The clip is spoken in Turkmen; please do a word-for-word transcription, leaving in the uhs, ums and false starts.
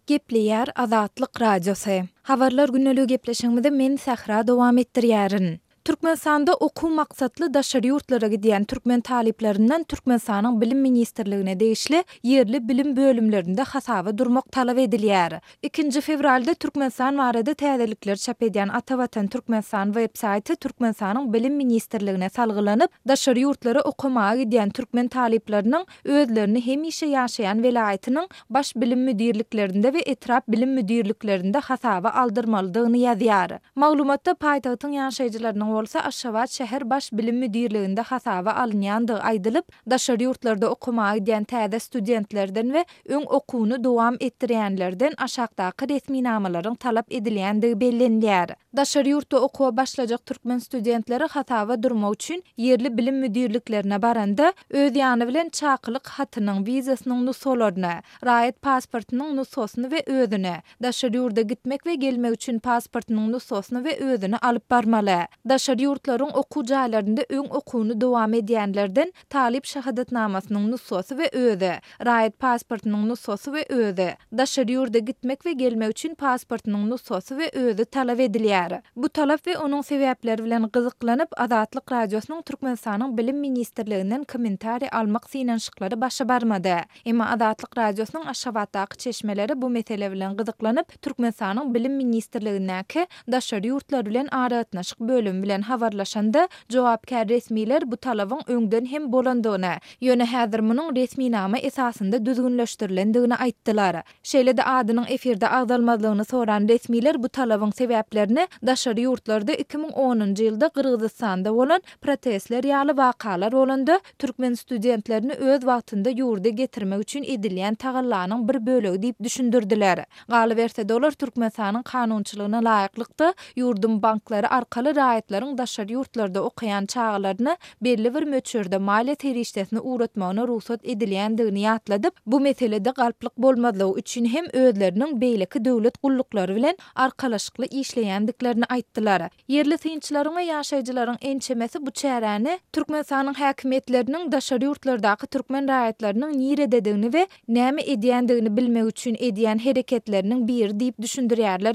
Gepleýär Azatlyk Radiosy. Habarlar gündeligi gepleşigimizi men Sähra dowam etdirýärin. Türkmenistanda okuw maksatly daşary ýurtlara gidýän türkmen talyplaryndan Türkmenistanyň Bilim ministrligine degişli ýerli bilim bölümlerinde hasaba durmak talap edilýär. Ikinji fewralda Türkmenistan barada täzelikleri çap edýän Atavatan Türkmenistan web saýty Türkmenistanyň Bilim ministrligine salgylanyp, daşary ýurtlara okamaga gidýän türkmen talyplarynyň özlerini hemişe ýaşaýan welaýatynyň baş bilim müdirliklerinde we etrap bilim müdirliklerinde hasaba aldyrmalydygyny ýazýar. Maglumatda paýtagtyň ýaşaýjylarynyň bolsa Aşgabat şäher baş bilim müdirliginde hasaba alynýandygy aýdylyp, daşary ýurtlarda okamaga gidýän täze studentlerden we öň okuwyny dowam etdirýänlerden aşakdaky resminamalaryň talap edilýändigi bellenilýär. Daşary ýurtda okuwa başlajak türkmen studentleri hasaba durmak üçin ýerli bilim müdirliklerine baranda öz ýany bilen çakylyk hatynyň, wizasynyň nusgalaryny, raýat pasportynyň nusgasyny we özüni, daşary ýurda gitmek we gelmek üçin pasportynyň nusgasyny we özüni alyp barmaly. Daşary ýurtlaryň okuw jaýlarynda öň okuwyny dowam edýänlerden talyp şahadatnamasynyň nusgasy we özi, raýat pasportynyň nusgasy we özi, daşary ýurda gitmek we gelmek üçin pasportynyň nusgasy we özi talap edilýär. Bu talap we onuň sebäpleri bilen gyzyklanyp, Azatlyk Radiosynyň Türkmenistanyň Bilim ministrliginden kommentariý almak synanyşyklary başa barmady. Emma Azatlyk Radiosynyň Aşgabatdaky çeşmeleri bu mesele bilen gyzyklanyp, Türkmenistanyň Bilim ministrligindäki daşary ýurtlar bilen aragatnaşyk bölümi bilen habarlaşanda, jogapkär resmiler bu talabyň öňden hem bolandygyny, ýöne häzir munuň resminama esasynda düzgünleşdirilendigini aýtdylar. Şeýle-de adynyň efirde agzalmazlygyny soran resmiler bu talabyň sebäplerini daşary ýurtlarda iki müň onunjy ýylda Gyrgyzystanda bolan protestler ýaly wakalar bolanda türkmen studentlerini öz wagtynda ýurda getirmek üçin edilýän tagallanyň bir bölegi diýip düşündirdiler. Galyberse-de olar Türkmenistanyň kanunçylygyna laýyklykda ýurduň banklary arkaly raýatlaryň daşary ýurtlarda okaýan çagalaryna belli bir möçberde maliýe serişdesini ugratmagyna rugsat edilýändigini ýatladyp, bu meselede galplyk bolmazlygy üçin hem özleriniň beýleki döwlet gulluklary bilen arkalaşykly işleýändiklerini aýtdylar. Ýerli synçylaryň we ýaşaýjylaryň ençemesi bu çäräni Türkmenistanyň häkimiýetleriniň daşary ýurtlardaky türkmen raýatlarynyň nirededigini we näme edýändigini bilmek üçin edýän hereketleriniň biri diýip düşündirýärler.